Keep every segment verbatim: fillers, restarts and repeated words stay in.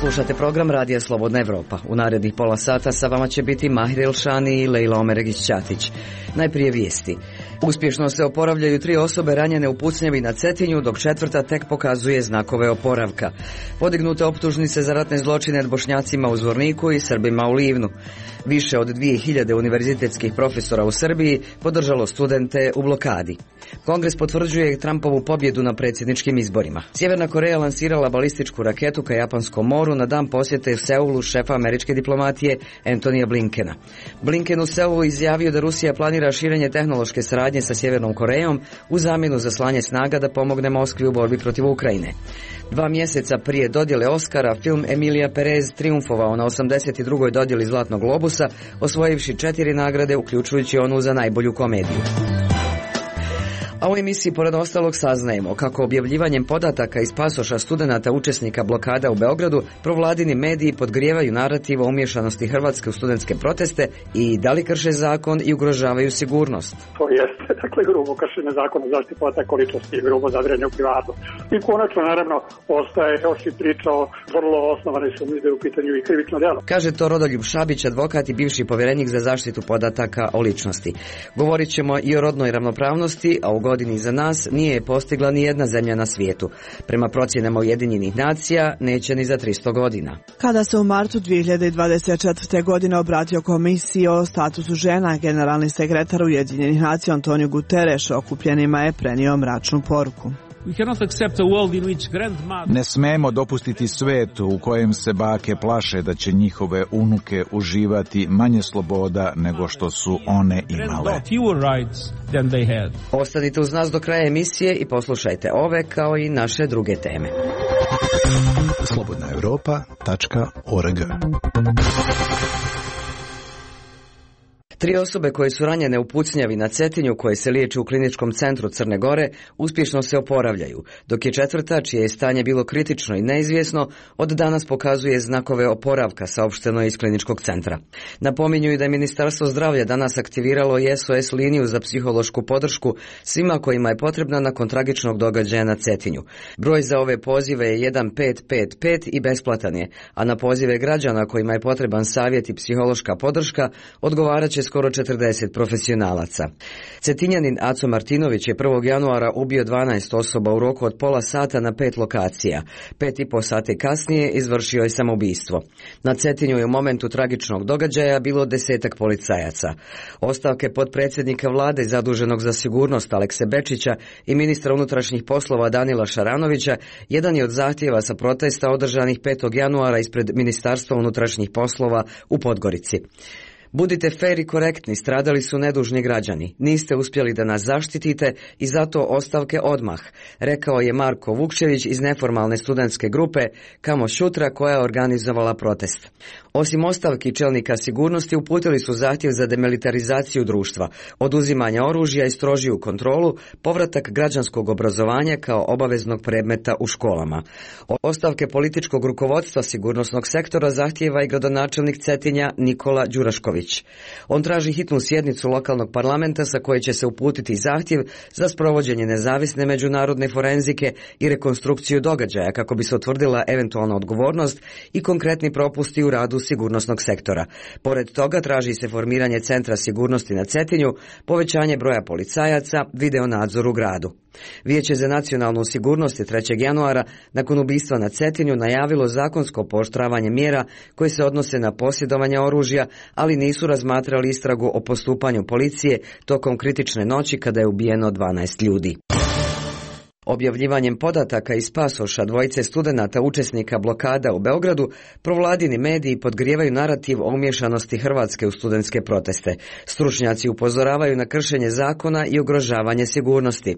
Slušate program Radija Slobodna Evropa. U narednih pola sata sa vama će biti Mahir Elšani i Lejla Omeregić-Ćatić. Najprije vijesti. Uspješno se oporavljaju tri osobe ranjene u pucnjavi na Cetinju, dok četvrta tek pokazuje znakove oporavka. Podignute optužnice za ratne zločine nad Bošnjacima u Zvorniku i Srbima u Livnu. Više od dvije hiljade univerzitetskih profesora u Srbiji podržalo studente u blokadi. Kongres potvrđuje Trumpovu pobjedu na predsjedničkim izborima. Sjeverna Koreja lansirala balističku raketu ka Japanskom moru na dan posjete u Seulu šefa američke diplomatije Antonija Blinkena. Blinken u Seulu izjavio da Rusija planira širenje tehnološke saradnje sa Sjevernom Korejom u zamjenu za slanje snaga da pomogne Moskvi u borbi protiv Ukrajine. Dva mjeseca prije dodjele Oscara, film Emilija Perez triumfovao na osamdeset drugoj dodjeli Zlatnog globusa, osvojivši četiri nagrade, uključujući onu za najbolju komediju. A u emisiji pored ostalog saznajemo kako objavljivanjem podataka iz pasoša studenata učesnika blokada u Beogradu provladini mediji podgrijevaju narativ o umješanosti Hrvatske u studentske proteste i da li krše zakon i ugrožavaju sigurnost. To jeste, dakle, grubo kršenje zakona o zaštiti podataka o ličnosti i grubo zadiranje u privatnost. I konačno, naravno, ostaje još i priča o vrlo osnovane sumnje da je u pitanju i krivično djelo. Kaže to Rodoljub Šabić, advokat i bivši povjerenik za zaštitu podataka o ličnosti. Govorit ćemo i o rodnoj ravnopravnosti, a u godini za nas nije postigla ni jedna zemlja na svijetu. Prema procjenama Ujedinjenih nacija neće ni za tristo godina. Kada se u martu dvije hiljade dvadeset četvrte. godine obratio komisiji o statusu žena, generalni sekretar Ujedinjenih nacija Antonio Guterres okupljenima je prenio mračnu poruku. Ne smemo dopustiti svijet u kojem se bake plaše da će njihove unuke uživati manje sloboda nego što su one imale. Ostanite uz nas do kraja emisije i poslušajte ove kao i naše druge teme. slobodna europa tačka org. Tri osobe koje su ranjene u pucnjavi na Cetinju, koje se liječe u kliničkom centru Crne Gore, uspješno se oporavljaju, dok je četvrta, čije je stanje bilo kritično i neizvjesno, od danas pokazuje znakove oporavka, saopšteno je iz kliničkog centra. Napominju i da je Ministarstvo zdravlja danas aktiviralo i S O S liniju za psihološku podršku svima kojima je potrebna nakon tragičnog događaja na Cetinju. Broj za ove pozive je jedan pet pet pet i besplatan je, a na pozive građana kojima je potreban savjet i psihološka podrška odgovarat će skoro četrdeset profesionalaca. Cetinjanin Aco Martinović je prvog januara ubio dvanaest osoba u roku od pola sata na pet lokacija. Pet i po sati kasnije izvršio je samoubistvo. Na Cetinju je u momentu tragičnog događaja bilo desetak policajaca. Ostavke potpredsjednika vlade zaduženog za sigurnost Alekse Bečića i ministra unutrašnjih poslova Danila Šaranovića jedan je od zahtjeva sa protesta održanih petog januara ispred Ministarstva unutrašnjih poslova u Podgorici. Budite fer i korektni, stradali su nedužni građani. Niste uspjeli da nas zaštitite i zato ostavke odmah, rekao je Marko Vukčević iz neformalne studentske grupe Kamo Šutra koja je organizovala protest. Osim ostavki čelnika sigurnosti uputili su zahtjev za demilitarizaciju društva, oduzimanje oružja i strožiju kontrolu, povratak građanskog obrazovanja kao obaveznog predmeta u školama. Ostavke političkog rukovodstva sigurnosnog sektora zahtijeva i gradonačelnik Cetinja Nikola Đurašković. On traži hitnu sjednicu lokalnog parlamenta sa koje će se uputiti zahtjev za sprovođenje nezavisne međunarodne forenzike i rekonstrukciju događaja kako bi se utvrdila eventualna odgovornost i konkretni propusti u radu sigurnosnog sektora. Pored toga traži se formiranje Centra sigurnosti na Cetinju, povećanje broja policajaca, video nadzor u gradu. Vijeće za nacionalnu sigurnost je trećeg januara nakon ubistva na Cetinju najavilo zakonsko pooštravanje mjera koje se odnose na posjedovanje oružja, ali nisu razmatrali istragu o postupanju policije tokom kritične noći kada je ubijeno dvanaest ljudi. Objavljivanjem podataka iz pasoša dvojice studenata učesnika blokada u Beogradu, provladini mediji podgrijevaju narativ o umješanosti Hrvatske u studentske proteste. Stručnjaci upozoravaju na kršenje zakona i ugrožavanje sigurnosti.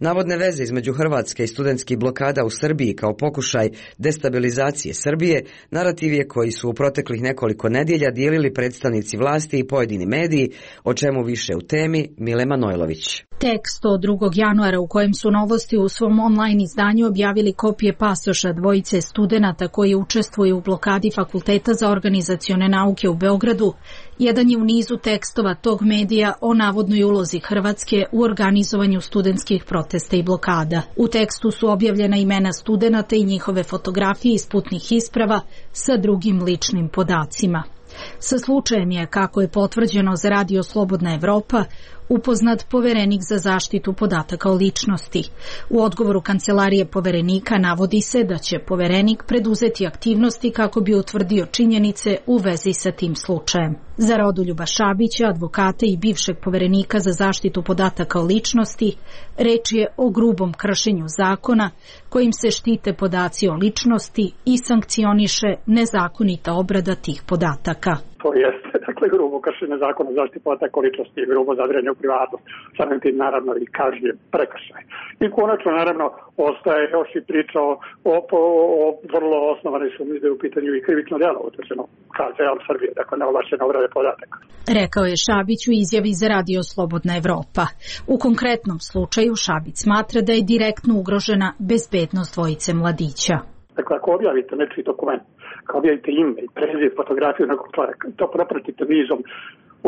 Navodne veze između Hrvatske i studentskih blokada u Srbiji kao pokušaj destabilizacije Srbije, narativ je koji su u proteklih nekoliko nedjelja dijelili predstavnici vlasti i pojedini mediji, o čemu više u temi Mile Manojlović. Tekst od drugog januara u kojem su Novosti u svom online izdanju objavili kopije pasoša dvojice studenata koji učestvuju u blokadi Fakulteta za organizacione nauke u Beogradu. Jedan je u nizu tekstova tog medija o navodnoj ulozi Hrvatske u organizovanju studentskih protesta i blokada. U tekstu su objavljena imena studenata i njihove fotografije iz putnih isprava sa drugim ličnim podacima. Sa slučajem je, kako je potvrđeno za Radio Slobodna Evropa, upoznat poverenik za zaštitu podataka o ličnosti. U odgovoru Kancelarije poverenika navodi se da će poverenik preduzeti aktivnosti kako bi utvrdio činjenice u vezi sa tim slučajem. Za Rodoljuba Šabića, advokata i bivšeg poverenika za zaštitu podataka o ličnosti, reč je o grubom kršenju zakona kojim se štite podaci o ličnosti i sankcioniše nezakonita obrada tih podataka. To jeste, dakle, grubo kršenje zakona o zaštiti podataka o ličnosti i grubo zadiranje u privatnost, samim tim naravno i kažnjen prekršaj. I konačno naravno ostaje još i priča o, o, o vrlo osnovanoj sumnji da je u pitanju i krivično djelo utvrđeno K Z L Srbije, dakle neovlašćene obrade podataka. Rekao je Šabić u izjavi za Radio Slobodna Evropa. U konkretnom slučaju Šabić smatra da je direktno ugrožena bezbednost dvojice mladića. Dakle, ako objavite nečiji dokument, ako objavite ime i preziv, fotografiju nekog čovjeka, to propratite nizom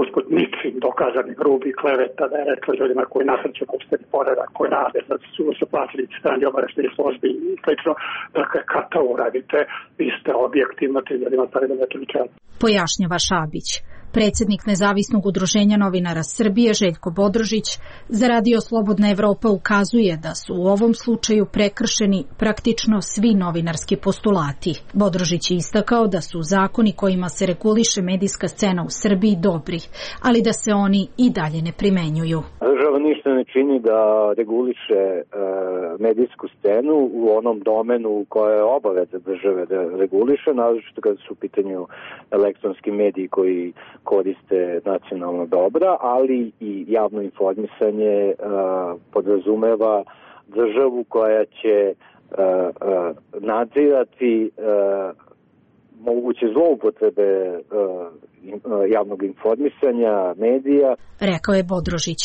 usput ničim dokazanih grubih kleveta da je rekla ljudima koji nasrću opšteni poredak, koji rade, da su se plaćali strani obaveštajnih službi i slično. Dakle, kad to uradite, vi ste objektivno tim ljudima stavili na čelu. Pojašnjava Šabić. Predsjednik Nezavisnog udruženja novinara Srbije Željko Bodrožić za Radio Slobodna Evropa ukazuje da su u ovom slučaju prekršeni praktično svi novinarski postulati. Bodrožić je istakao da su zakoni kojima se reguliše medijska scena u Srbiji dobri, ali da se oni i dalje ne primenjuju. Država ništa ne čini da reguliše e, medijsku scenu u onom domenu koje je obaveza države da reguliše, naročito kada su u pitanju elektronski mediji koji koriste nacionalna dobra, ali i javno informisanje uh, podrazumeva državu koja će uh, uh, nadzirati uh, moguće zloupotrebe uh, javnog informisanja, medija. Rekao je Bodrožić.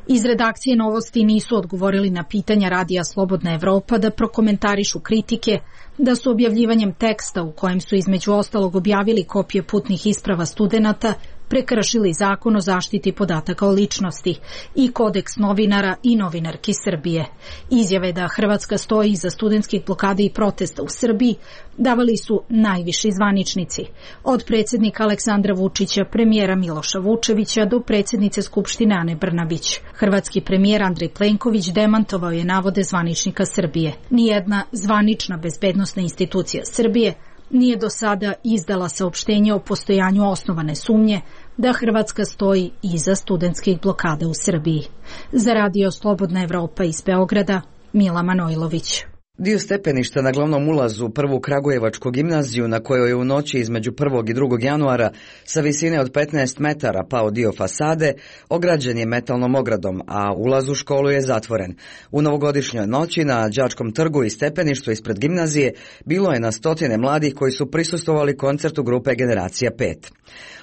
Iz redakcije Novosti nisu odgovorili na pitanja Radija Slobodna Evropa da prokomentarišu kritike da su objavljivanjem teksta u kojem su između ostalog objavili kopije putnih isprava studenata prekršili zakon o zaštiti podataka o ličnosti i kodeks novinara i novinarki Srbije. Izjave da Hrvatska stoji iza studentskih blokada i protesta u Srbiji davali su najviši zvaničnici, od predsjednika Aleksandra Vučića, premijera Miloša Vučevića do predsjednice Skupštine Ane Brnabić. Hrvatski premijer Andrej Plenković demantovao je navode zvaničnika Srbije. Nijedna zvanična bezbednosna institucija Srbije nije do sada izdala saopštenje o postojanju osnovane sumnje da Hrvatska stoji iza studentskih blokada u Srbiji. Za Radio Slobodna Evropa iz Beograda, Mila Manojlović. Dio stepeništa na glavnom ulazu u prvu Kragujevačku gimnaziju, na kojoj je u noći između prvog i drugog januara sa visine od petnaest metara pao dio fasade, ograđen je metalnom ogradom, a ulaz u školu je zatvoren. U novogodišnjoj noći na Đačkom trgu i stepeništu ispred gimnazije bilo je na stotine mladih koji su prisustvovali koncertu grupe Generacija pet.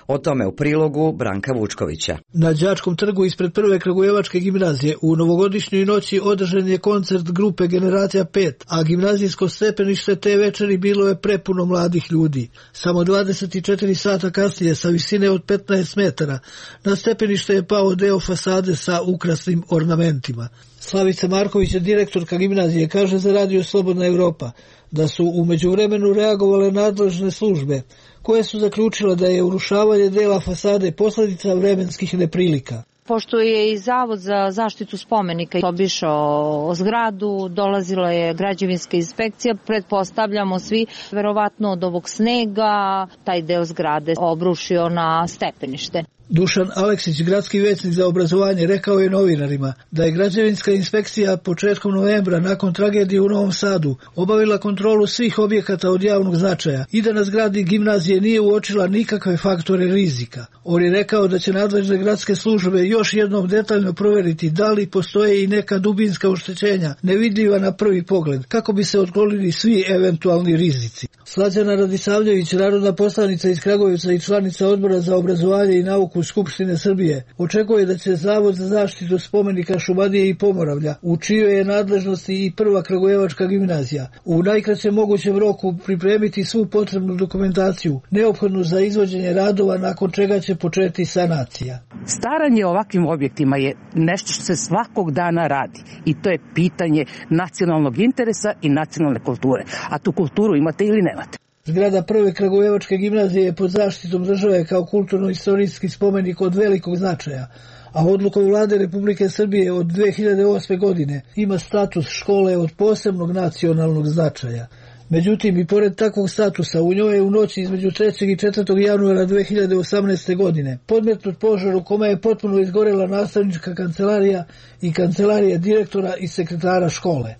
O tome u prilogu Branka Vučkovića. Na Đačkom trgu ispred prve Kragujevačke gimnazije u novogodišnjoj noći održan je koncert grupe Generacija pet, a gimnazijsko stepenište te večeri bilo je prepuno mladih ljudi. Samo dvadeset četiri sata kasnije, sa visine od petnaest metara, na stepenište je pao deo fasade sa ukrasnim ornamentima. Slavica Marković, direktorka gimnazije, kaže za Radio Slobodna Evropa da su u međuvremenu reagovale nadležne službe, koje su zaključile da je urušavanje dela fasade posljedica vremenskih neprilika. Pošto je i Zavod za zaštitu spomenika obišao zgradu, dolazila je građevinska inspekcija, pretpostavljamo svi, verovatno od ovog snega, taj deo zgrade obrušio na stepenište. Dušan Aleksić, gradski većnik za obrazovanje, rekao je novinarima da je građevinska inspekcija početkom novembra nakon tragedije u Novom Sadu obavila kontrolu svih objekata od javnog značaja i da na zgradi gimnazije nije uočila nikakve faktore rizika. On je rekao da će nadležne gradske službe još jednom detaljno provjeriti da li postoje i neka dubinska oštećenja nevidljiva na prvi pogled, kako bi se otklonili svi eventualni rizici. Slađana Radisavljević, narodna poslanica iz Kragujevca i članica Odbora za obrazovanje i nauku odluku Skupštine Srbije, očekuje da će Zavod za zaštitu spomenika Šumadije i Pomoravlja, u čijoj je nadležnosti i prva Kragujevačka gimnazija, u najkraćem mogućem roku pripremiti svu potrebnu dokumentaciju neophodnu za izvođenje radova, nakon čega će početi sanacija. Staranje o ovakvim objektima je nešto što se svakog dana radi i to je pitanje nacionalnog interesa i nacionalne kulture. A tu kulturu imate ili nemate. Zgrada prve Kragujevačke gimnazije je pod zaštitom države kao kulturno-istorijski spomenik od velikog značaja, a odlukom Vlade Republike Srbije od dve hiljade osme. godine ima status škole od posebnog nacionalnog značaja. Međutim, i pored takvog statusa, u njoj je u noći između trećeg i četvrtog januara dve hiljade osamnaeste. godine podmetnut požar u kome je potpuno izgorela nastavnička kancelarija i kancelarija direktora i sekretara škole.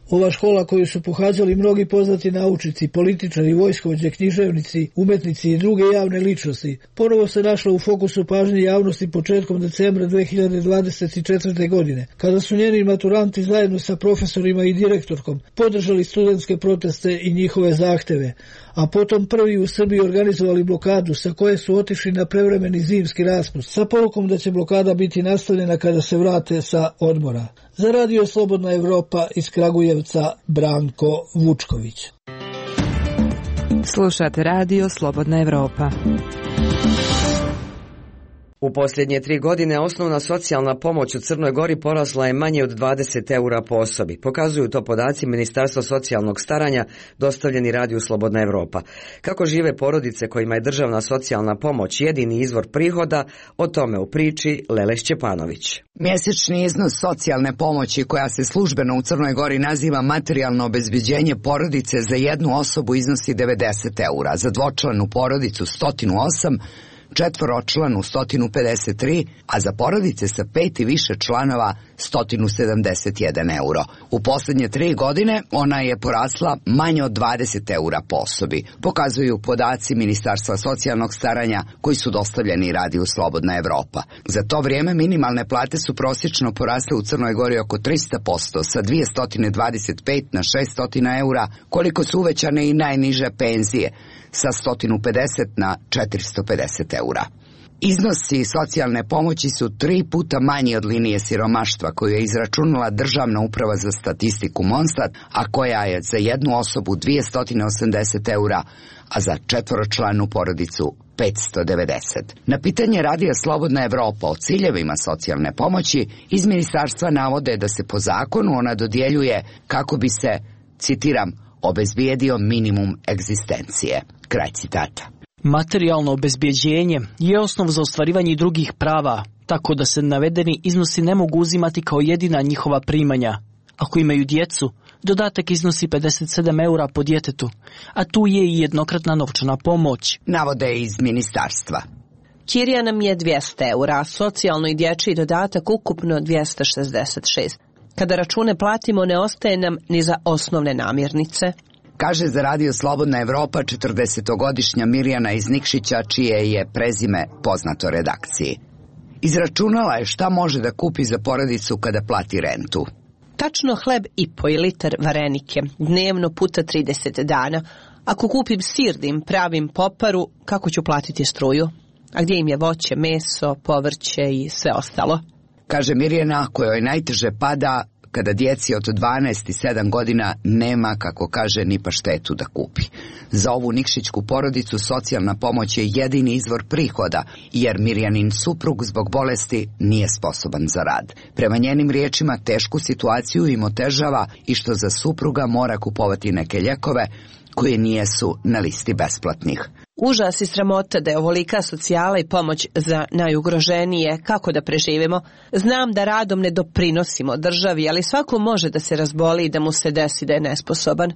Ova škola koju su pohađali mnogi poznati naučnici, političari, vojskovođe, književnici, umetnici i druge javne ličnosti, ponovo se našla u fokusu pažnje javnosti početkom decembra dve hiljade dvadeset četvrte. godine, kada su njeni maturanti zajedno sa profesorima i direktorkom podržali studentske proteste i njihove zahteve, a potom prvi u Srbiji organizovali blokadu sa koje su otišli na prevremeni zimski raspust, sa porukom da će blokada biti nastavljena kada se vrate sa odmora. Za Radio Slobodna Evropa iz Kragujevca, Branko Vučković. Slušate Radio Slobodna Evropa. U posljednje tri godine osnovna socijalna pomoć u Crnoj Gori porasla je manje od dvadeset eura po osobi. Pokazuju to podaci Ministarstva socijalnog staranja dostavljeni Radiju Slobodna Evropa. Kako žive porodice kojima je državna socijalna pomoć jedini izvor prihoda, o tome u priči Lele Šćepanović. Mjesečni iznos socijalne pomoći, koja se službeno u Crnoj Gori naziva materijalno obezbeđenje porodice, za jednu osobu iznosi devedeset eura, za dvočlanu porodicu sto osam, četvoročlanu sto pedeset tri, a za porodice sa pet i više članova sto sedamdeset jedan euro. U posljednje tri godine ona je porasla manje od dvadeset eura po osobi, pokazuju podaci Ministarstva socijalnog staranja koji su dostavljeni Radiju Slobodna Evropa. Za to vrijeme minimalne plate su prosječno porasle u Crnoj Gori oko tristo posto, sa dvjesto dvadeset pet na šesto eura, koliko su uvećane i najniže penzije, sa sto pedeset na četiristo pedeset eura. Iznosi socijalne pomoći su tri puta manji od linije siromaštva koju je izračunala Državna uprava za statistiku Monstat, a koja je za jednu osobu dvjesto osamdeset eura, a za četvoročlanu porodicu petsto devedeset. Na pitanje Radija Slobodna Evropa o ciljevima socijalne pomoći iz ministarstva navode da se po zakonu ona dodjeljuje kako bi se, citiram, obezbijedio minimum egzistencije. Kraj citata. Materijalno obezbjeđenje je osnov za ostvarivanje drugih prava, tako da se navedeni iznosi ne mogu uzimati kao jedina njihova primanja. Ako imaju djecu, dodatak iznosi pedeset sedam eura po djetetu, a tu je i jednokratna novčana pomoć. Navode iz ministarstva. Kirija nam je dvjesto eura, a socijalno i dječji dodatak ukupno dvjesto šezdeset šest. Kada račune platimo, ne ostaje nam ni za osnovne namirnice. Kaže za Radio Slobodna Evropa četrdesetogodišnja Mirjana iz Nikšića, čije je prezime poznato redakciji. Izračunala je šta može da kupi za porodicu kada plati rentu. Tačno hleb i po i litar varenike, dnevno puta trideset dana. Ako kupim sir da im pravim poparu, kako ću platiti struju? A gdje im je voće, meso, povrće i sve ostalo? Kaže Mirjana, kojoj najteže pada kada djeci od dvanaest i sedam godina nema, kako kaže, ni paštetu da kupi. Za ovu nikšićku porodicu socijalna pomoć je jedini izvor prihoda, jer Mirjanin suprug zbog bolesti nije sposoban za rad. Prema njenim riječima, tešku situaciju im otežava i što za supruga mora kupovati neke ljekove koje nijesu na listi besplatnih. Užas i sramota da je ovolika socijala i pomoć za najugroženije. Kako da preživimo? Znam da radom ne doprinosimo državi, ali svako može da se razboli i da mu se desi da je nesposoban.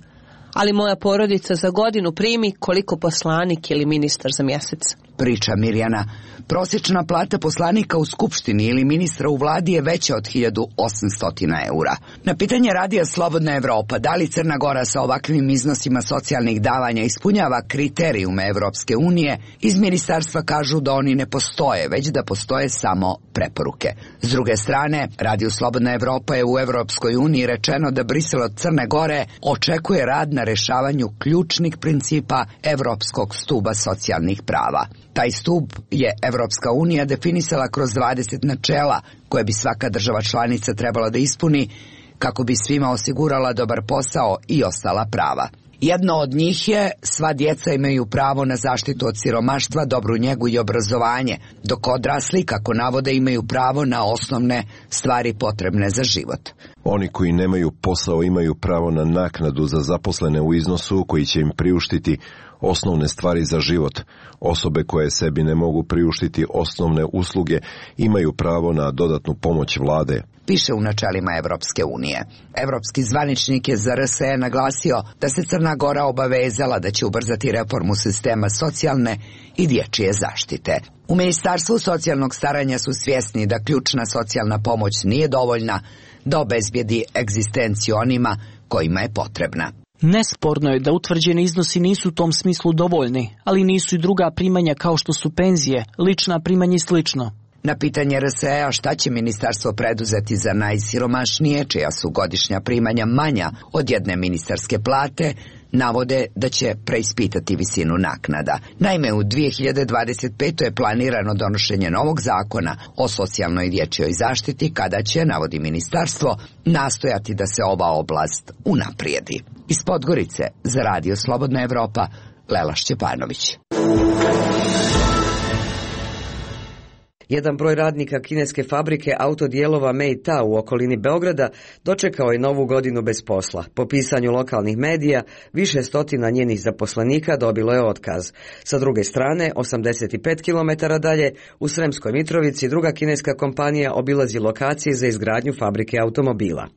Ali moja porodica za godinu primi koliko poslanik ili ministar za mjesec. Priča Mirjana. Prosječna plata poslanika u Skupštini ili ministra u vladi je veća od hiljadu osamsto eura. Na pitanje Radija Slobodna Evropa da li Crna Gora sa ovakvim iznosima socijalnih davanja ispunjava kriterijume Evropske unije, iz ministarstva kažu da oni ne postoje, već da postoje samo preporuke. S druge strane, Radio Slobodna Evropa je u Evropskoj uniji rečeno da Brisel od Crne Gore očekuje rad na na rešavanju ključnih principa Evropskog stuba socijalnih prava. Taj stub je Evropska unija definisala kroz dvadeset načela koje bi svaka država članica trebala da ispuni kako bi svima osigurala dobar posao i ostala prava. Jedno od njih je sva djeca imaju pravo na zaštitu od siromaštva, dobru njegu i obrazovanje, dok odrasli, kako navode, imaju pravo na osnovne stvari potrebne za život. Oni koji nemaju posao imaju pravo na naknadu za zaposlene u iznosu koji će im priuštiti osnovne stvari za život. Osobe koje sebi ne mogu priuštiti osnovne usluge imaju pravo na dodatnu pomoć vlade. Piše u načelima Evropske unije. Evropski zvaničnik je za R S E naglasio da se Crna Gora obavezala da će ubrzati reformu sistema socijalne i dječje zaštite. U Ministarstvu socijalnog staranja su svjesni da ključna socijalna pomoć nije dovoljna da obezbijedi egzistenciju onima kojima je potrebna. Nesporno je da utvrđeni iznosi nisu u tom smislu dovoljni, ali nisu i druga primanja kao što su penzije, lična primanja i slično. Na pitanje R S E-a šta će ministarstvo preduzeti za najsiromašnije, čija su godišnja primanja manja od jedne ministarske plate, navode da će preispitati visinu naknada. Naime, u dvije hiljade dvadeset petoj je planirano donošenje novog zakona o socijalnoj i dječjoj zaštiti, kada će, navodi ministarstvo, nastojati da se ova oblast unaprijedi. Iz Podgorice za Radio Slobodna Evropa, Lela Šćepanović. Jedan broj radnika kineske fabrike autodijelova Mei-Ta u okolini Beograda dočekao je novu godinu bez posla. Po pisanju lokalnih medija, više stotina njenih zaposlenika dobilo je otkaz. Sa druge strane, osamdeset pet kilometara dalje, u Sremskoj Mitrovici, druga kineska kompanija obilazi lokacije za izgradnju fabrike automobila.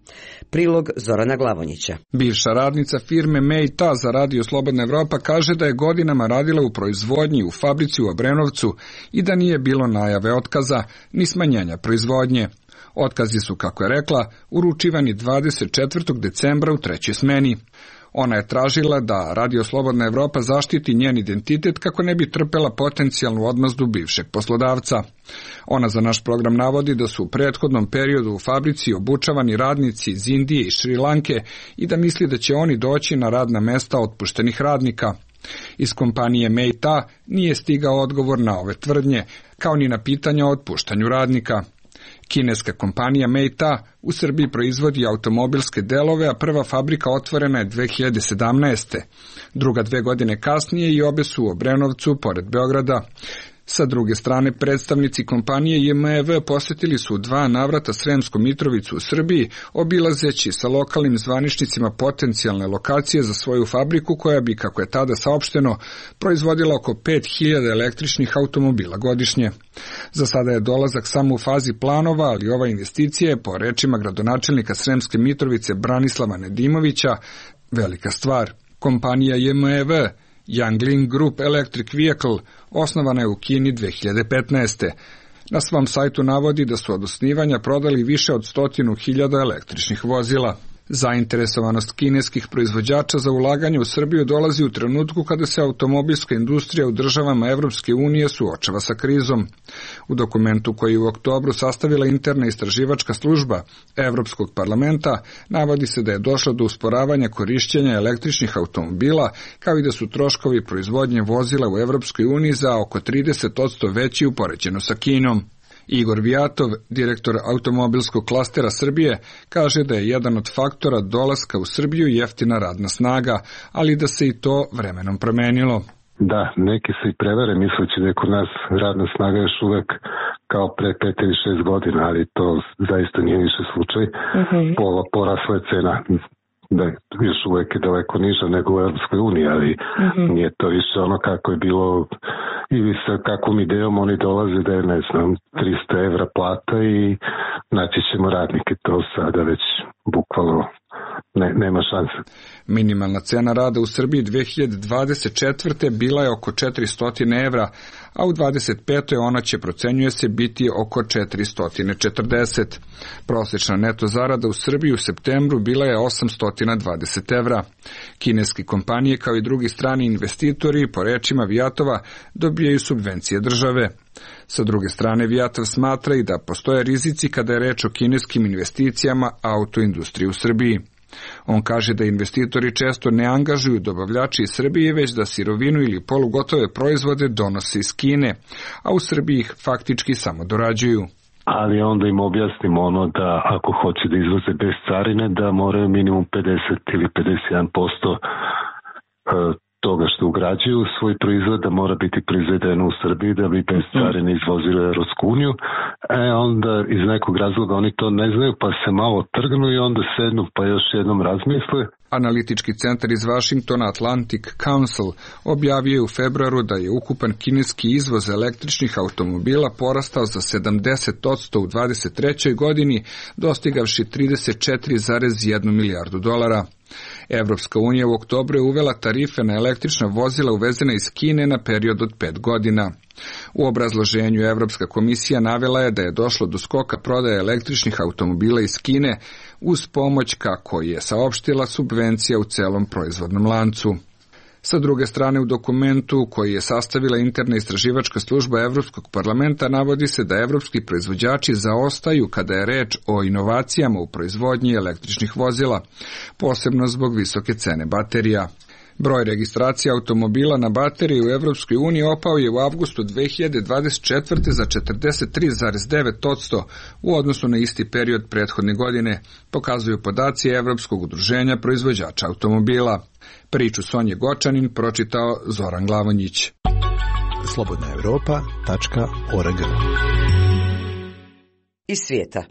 Prilog Zorana Glavonjića. Bivša radnica firme Mei-Ta za Radio Slobodna Evropa kaže da je godinama radila u proizvodnji u fabrici u Obrenovcu i da nije bilo najave otkaza ni smanjenja proizvodnje. Otkazi su, kako je rekla, uručivani dvadeset četvrtog decembra u trećoj smeni. Ona je tražila da Radio Slobodna Evropa zaštiti njen identitet kako ne bi trpela potencijalnu odmazdu bivšeg poslodavca. Ona za naš program navodi da su u prethodnom periodu u fabrici obučavani radnici iz Indije i Šri Lanke i da misli da će oni doći na radna mesta otpuštenih radnika. Iz kompanije Mei-Ta nije stigao odgovor na ove tvrdnje, kao ni na pitanja o otpuštanju radnika. Kineska kompanija Mei-Ta u Srbiji proizvodi automobilske delove, a prva fabrika otvorena je dve hiljade sedamnaeste. Druga dve godine kasnije i obe su u Obrenovcu, pored Beograda. Sa druge strane, predstavnici kompanije J M E V posjetili su dva navrata Sremsku Mitrovicu u Srbiji, obilazeći sa lokalnim zvaničnicima potencijalne lokacije za svoju fabriku koja bi, kako je tada saopšteno, proizvodila oko pet hiljada električnih automobila godišnje. Za sada je dolazak samo u fazi planova, ali ova investicija je, po rečima gradonačelnika Sremske Mitrovice Branislava Nedimovića, velika stvar. Kompanija J M E V Yangling Group Electric Vehicle osnovana je u Kini dve hiljade petnaeste. Na svom sajtu navodi da su od osnivanja prodali više od stotinu hiljada električnih vozila. Zainteresovanost kineskih proizvođača za ulaganje u Srbiju dolazi u trenutku kada se automobilska industrija u državama Evropske unije suočava sa krizom. U dokumentu koji je u oktobru sastavila interna istraživačka služba Evropskog parlamenta navodi se da je došlo do usporavanja korišćenja električnih automobila, kao i da su troškovi proizvodnje vozila u Evropskoj uniji za oko trideset posto veći upoređeno sa Kinom. Igor Vijatov, direktor automobilskog klastera Srbije, kaže da je jedan od faktora dolaska u Srbiju jeftina radna snaga, ali da se i to vremenom promenilo. Da, neki se i prevare misleći da je kod nas radna snaga još uvek kao pre pet ili šest godina, ali to zaista nije više slučaj. Uh-huh. Pola porasla je cena. Da, još uvek je daleko niža nego u Europskoj uniji, ali uh-huh. nije to više ono kako je bilo ili sa kakvom idejom oni dolaze da je, ne znam, trista evra plata i naći ćemo radnike, to sada već bukvalno ne, nema šanse. Minimalna cena rada u Srbiji dve hiljade dvadeset četvrte bila je oko četiristo evra, a u dvadeset petoj ona će, procenjuje se, biti oko četiristo četrdeset. Prosječna neto zarada u Srbiji u septembru bila je osamsto dvadeset evra. Kineske kompanije kao i drugi strani investitori, po rečima Vijatova, dobijaju subvencije države. Sa druge strane, Vijatov smatra i da postoje rizici kada je reč o kineskim investicijama autoindustriji u Srbiji. On kaže da investitori često ne angažuju dobavljači iz Srbije, već da sirovinu ili polugotove proizvode donose iz Kine, a u Srbiji ih faktički samo dorađuju. Ali onda im objasnimo ono da ako hoće da izvoze bez carine, da moraju minimum pedeset ili pedeset jedan posto toga što ugrađuju u svoj proizvod da mora biti proizvedeno u Srbiji da bi bez carine izvozili u Europsku uniju. E onda iz nekog razloga oni to ne znaju pa se malo trgnu i onda sednu pa još jednom razmisle. Analitički centar iz Washingtona Atlantic Council objavio je u februaru da je ukupan kineski izvoz električnih automobila porastao za sedamdeset posto u dvadeset trećoj godini, dostigavši trideset četiri zarez jedna milijardu dolara. Evropska unija u oktobru je uvela tarife na električna vozila uvezena iz Kine na period od pet godina. U obrazloženju Evropska komisija navela je da je došlo do skoka prodaje električnih automobila iz Kine uz pomoć, kako je saopštila, subvencija u celom proizvodnom lancu. Sa druge strane, u dokumentu koji je sastavila interna istraživačka služba Evropskog parlamenta navodi se da evropski proizvođači zaostaju kada je reč o inovacijama u proizvodnji električnih vozila, posebno zbog visoke cene baterija. Broj registracija automobila na baterije u Evropskoj uniji opao je u avgustu dve hiljade dvadeset četvrte za četrdeset tri zarez devet posto u odnosu na isti period prethodne godine, pokazuju podaci Evropskog udruženja proizvođača automobila. Priču Sonje Gočanin pročitao Zoran Glavonjić. slobodna evropa tačka org. Iz svijeta.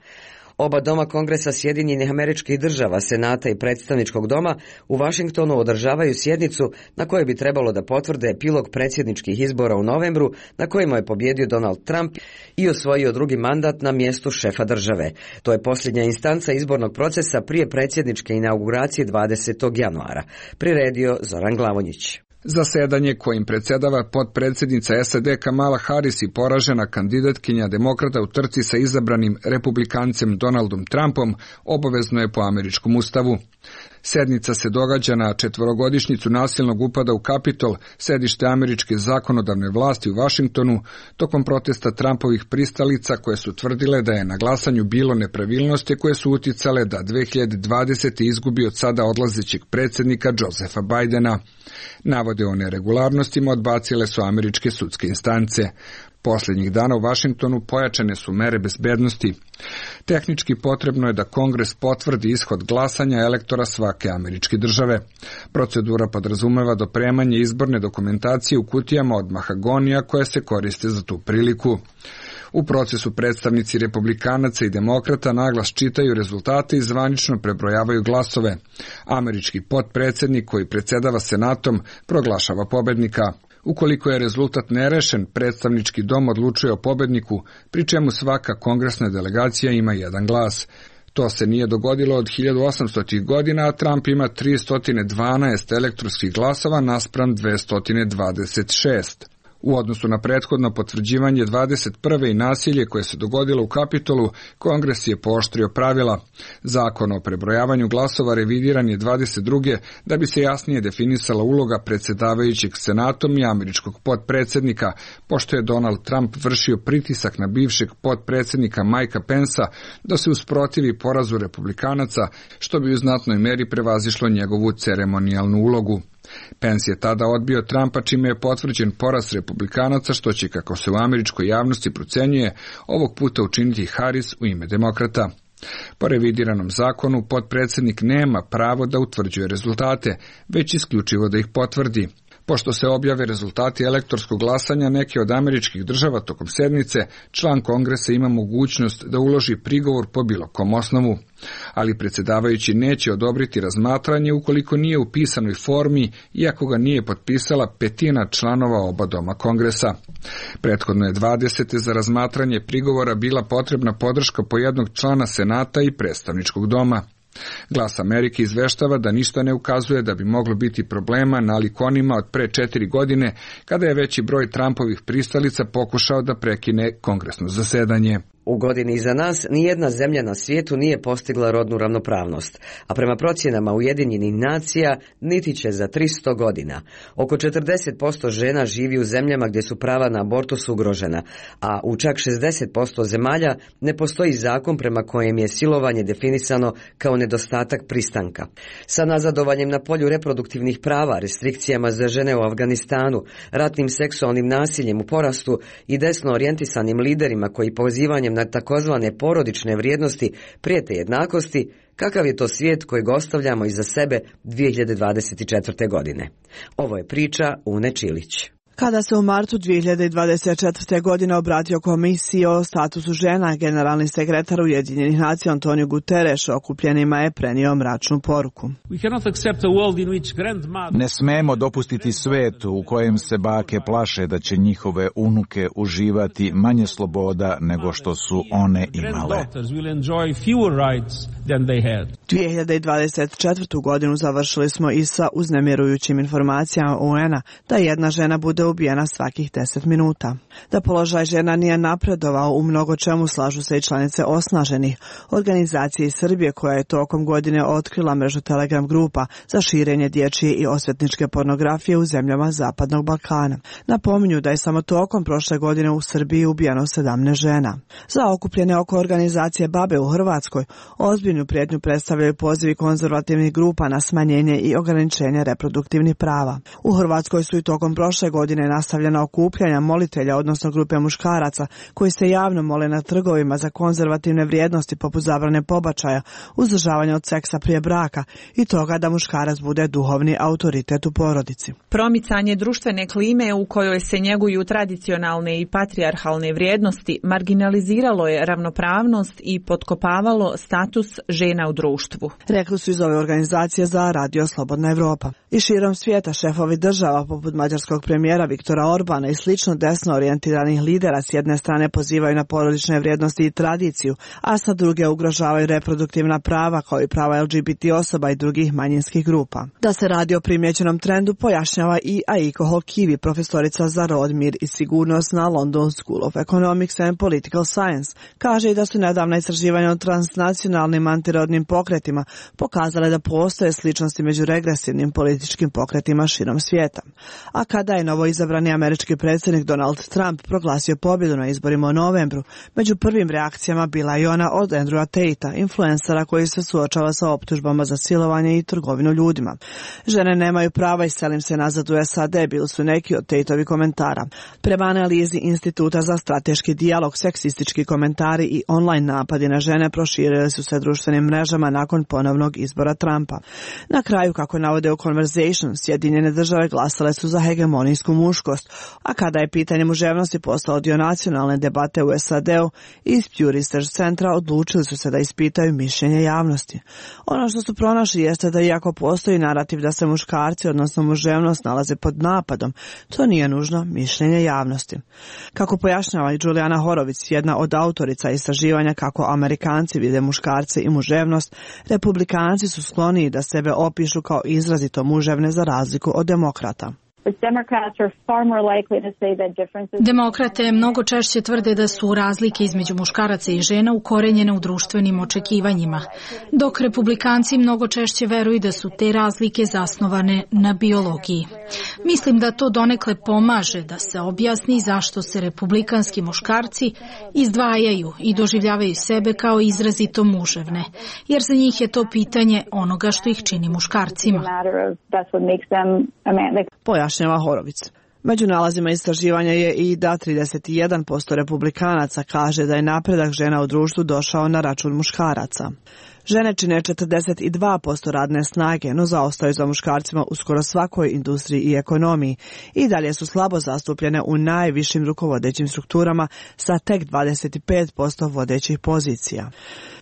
Oba doma Kongresa Sjedinjenih Američkih Država, Senata i Predstavničkog doma u Vašingtonu održavaju sjednicu na kojoj bi trebalo da potvrde epilog predsjedničkih izbora u novembru na kojima je pobjedio Donald Trump i osvojio drugi mandat na mjestu šefa države. To je posljednja instanca izbornog procesa prije predsjedničke inauguracije dvadesetog januara. Priredio Zoran Glavonjić. Zasedanje kojim predsjedava potpredsjednica S A D Kamala Harris i poražena kandidatkinja demokrata u trci sa izabranim republikancem Donaldom Trumpom obavezno je po američkom ustavu. Sednica se događa na četvorogodišnjicu nasilnog upada u Kapitol, sedište američke zakonodavne vlasti u Vašingtonu, tokom protesta Trumpovih pristalica koje su tvrdile da je na glasanju bilo nepravilnosti koje su uticale da dve hiljade dvadesete izgubi od sada odlazećeg predsjednika Josepha Bidena. Navode o neregularnostima odbacile su američke sudske instance. Posljednjih dana u Vašingtonu pojačane su mere bezbednosti. Tehnički potrebno je da Kongres potvrdi ishod glasanja elektora svake američke države. Procedura podrazumeva dopremanje izborne dokumentacije u kutijama od mahagonija koje se koriste za tu priliku. U procesu predstavnici republikanaca i demokrata naglas čitaju rezultate i zvanično prebrojavaju glasove. Američki potpredsjednik koji predsjedava Senatom proglašava pobednika. Ukoliko je rezultat nerešen, predstavnički dom odlučuje o pobedniku, pri čemu svaka kongresna delegacija ima jedan glas. To se nije dogodilo od hiljadu osamstotih godina, a Trump ima tristo dvanaest elektronskih glasova naspram dvesta dvadeset šest. U odnosu na prethodno potvrđivanje dvadeset prve i nasilje koje se dogodilo u Kapitolu, Kongres je pooštrio pravila. Zakon o prebrojavanju glasova revidiran je dvadeset druge da bi se jasnije definisala uloga predsjedavajućeg Senatom i američkog potpredsjednika, pošto je Donald Trump vršio pritisak na bivšeg potpredsjednika Mikea Pensa da se usprotivi porazu republikanaca, što bi u znatnoj meri prevazišlo njegovu ceremonijalnu ulogu. Pence je tada odbio Trumpa, čime je potvrđen poraz republikanaca, što će, kako se u američkoj javnosti procenjuje, ovog puta učiniti Harris u ime demokrata. Po revidiranom zakonu, potpredsjednik nema pravo da utvrđuje rezultate, već isključivo da ih potvrdi. Pošto se objave rezultati elektorskog glasanja neke od američkih država tokom sednice, član Kongresa ima mogućnost da uloži prigovor po bilo kom osnovu. Ali predsjedavajući neće odobriti razmatranje ukoliko nije u pisanoj formi, iako ga nije potpisala petina članova oba doma Kongresa. Prethodno je dvadesete za razmatranje prigovora bila potrebna podrška po jednog člana Senata i predstavničkog doma. Glas Amerike izveštava da ništa ne ukazuje da bi moglo biti problema nalik onima od pre četiri godine, kada je veći broj Trumpovih pristalica pokušao da prekine kongresno zasedanje. U godini iza nas nijedna zemlja na svijetu nije postigla rodnu ravnopravnost, a prema procjenama Ujedinjenih nacija niti će za tristo godina. Oko četrdeset posto žena živi u zemljama gdje su prava na abortus ugrožena, a u čak šezdeset posto zemalja ne postoji zakon prema kojem je silovanje definisano kao nedostatak pristanka. Sa nazadovanjem na polju reproduktivnih prava, restrikcijama za žene u Afganistanu, ratnim seksualnim nasiljem u porastu i desno orijentisanim liderima koji pozivanjem na takozvane porodične vrijednosti prijete jednakosti, kakav je to svijet kojeg ostavljamo iza sebe dvije hiljade dvadeset četvrte. godine? Ovo je priča Une Čilić. Kada se u martu dvije hiljade dvadeset četvrte. godine obratio komisiji o statusu žena, generalni sekretar Ujedinjenih nacija Antonio Guterres okupljenima je prenio mračnu poruku. Ne smemo dopustiti svet u kojem se bake plaše da će njihove unuke uživati manje sloboda nego što su one imale. dvije hiljade dvadeset četvrtu. godinu završili smo i sa uznemirujućim informacijama U N-a da jedna žena bude ubijena svakih deset minuta. Da položaj žena nije napredovao u mnogo čemu slažu se i članice osnaženih organizacije iz Srbije koja je tokom godine otkrila mrežu Telegram grupa za širenje dječje i osvetničke pornografije u zemljama Zapadnog Balkana. Napominju da je samo tokom prošle godine u Srbiji ubijeno sedamnaest žena. Za okupljene oko organizacije Babe u Hrvatskoj ozbiljnu prijetnju predstavljaju pozivi konzervativnih grupa na smanjenje i ograničenje reproduktivnih prava. U Hrvatskoj su i tokom prošle godine nastavljena okupljanja molitelja, odnosno grupe muškaraca koji se javno mole na trgovima za konzervativne vrijednosti poput zabrane pobačaja, uzdržavanja od seksa prije braka i toga da muškarac bude duhovni autoritet u porodici. Promicanje društvene klime u kojoj se njeguju tradicionalne i patrijarhalne vrijednosti marginaliziralo je ravnopravnost i potkopavalo status žena u društvu. Rekli su iz ove organizacije za Radio Slobodna Evropa. I širom svijeta šefovi država poput mađarskog premijera Viktora Orbana i slično desno orijentiranih lidera s jedne strane pozivaju na porodične vrijednosti i tradiciju, a sa druge ugrožavaju reproduktivna prava kao i prava L G B T osoba i drugih manjinskih grupa. Da se radi o primjećenom trendu pojašnjava i Aiko Hokivi, profesorica za rod, mir i sigurnost na London School of Economics and Political Science. Kaže i da su nedavna istraživanja o transnacionalnim antirodnim pokretima pokazale da postoje sličnosti među regresivnim političkim pokretima širom svijeta. A kada je novoizabrani američki predsjednik Donald Trump proglasio pobjedu na izborima u novembru, među prvim reakcijama bila i ona od Andrewa Tate-a, influencera koji se suočava sa optužbama za silovanje i trgovinu ljudima. Žene nemaju prava i selim se nazad u S A D, bili su neki od Tate-ovi komentara. Prema analizi Instituta za strateški dijalog, seksistički komentari i online napadi na žene proširili su se društvenim mrežama nakon ponovnog izbora Trumpa. Na kraju, kako navode u Conversation, Sjedinjene države glasale su za hegemonijsku muškost, a kada je pitanje muževnosti postao dio nacionalne debate u S A D-u, iz Pew Research centra odlučili su se da ispitaju mišljenje javnosti. Ono što su pronašli jeste da iako postoji narativ da se muškarci, odnosno muževnost, nalaze pod napadom, to nije nužno mišljenje javnosti. Kako pojašnjava i Julijana Horović, jedna od autorica istraživanja kako Amerikanci vide muškarce i muževnost, Republikanci su skloniji da sebe opišu kao izrazito muževne za razliku od demokrata. Demokrate mnogo češće tvrde da su razlike između muškaraca i žena ukorenjene u društvenim očekivanjima, dok republikanci mnogo češće veruju da su te razlike zasnovane na biologiji. Mislim da to donekle pomaže da se objasni zašto se republikanski muškarci izdvajaju i doživljavaju sebe kao izrazito muževne, jer za njih je to pitanje onoga što ih čini muškarcima. Pojašnjava Horović. Među nalazima istraživanja je i da trideset jedan posto republikanaca kaže da je napredak žena u društvu došao na račun muškaraca. Žene čine četrdeset dva posto radne snage, no zaostaju za muškarcima u skoro svakoj industriji i ekonomiji i dalje su slabo zastupljene u najvišim rukovodećim strukturama sa tek dvadeset pet posto vodećih pozicija.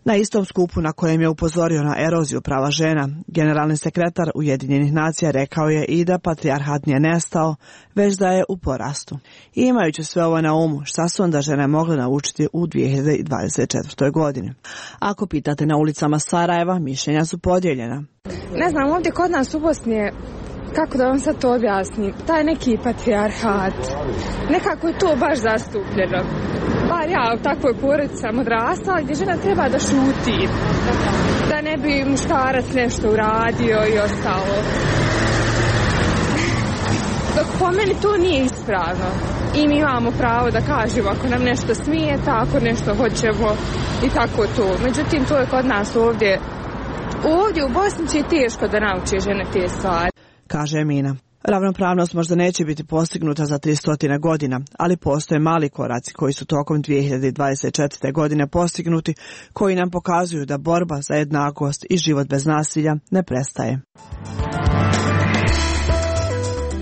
Na istom skupu na kojem je upozorio na eroziju prava žena, generalni sekretar Ujedinjenih nacija rekao je i da patrijarhat nije nestao, već da je u porastu. I imajući sve ovo na umu, šta su onda žene mogle naučiti u dvije hiljade dvadeset četvrtoj. godini? Ako pitate na ulicama Sarajeva, mišljenja su podijeljena. Ne znam, ovdje kod nas u Bosni je, kako da vam sad to objasnim, taj neki patrijarhat, nekako je to baš zastupljeno. Pa bar ja u takvoj porodici sam odrastala gdje žena treba da šuti, da ne bi muškarac nešto uradio i ostalo. Dok po meni to nije ispravno i mi imamo pravo da kažemo ako nam nešto smijeta, ako nešto hoćemo i tako to. Međutim, to je kod nas ovdje, ovdje u Bosni će teško da nauče žene te stvari. Kaže Emina. Ravnopravnost možda neće biti postignuta za tristo godina, ali postoje mali koraci koji su tokom dvije hiljade dvadeset četvrte. godine postignuti, koji nam pokazuju da borba za jednakost i život bez nasilja ne prestaje.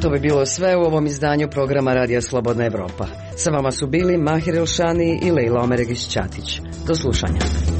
To bi bilo sve u ovom izdanju programa Radija Slobodna Evropa. Sa vama su bili Mahir Elšani i Lejla Omeregić-Ćatić. Do slušanja.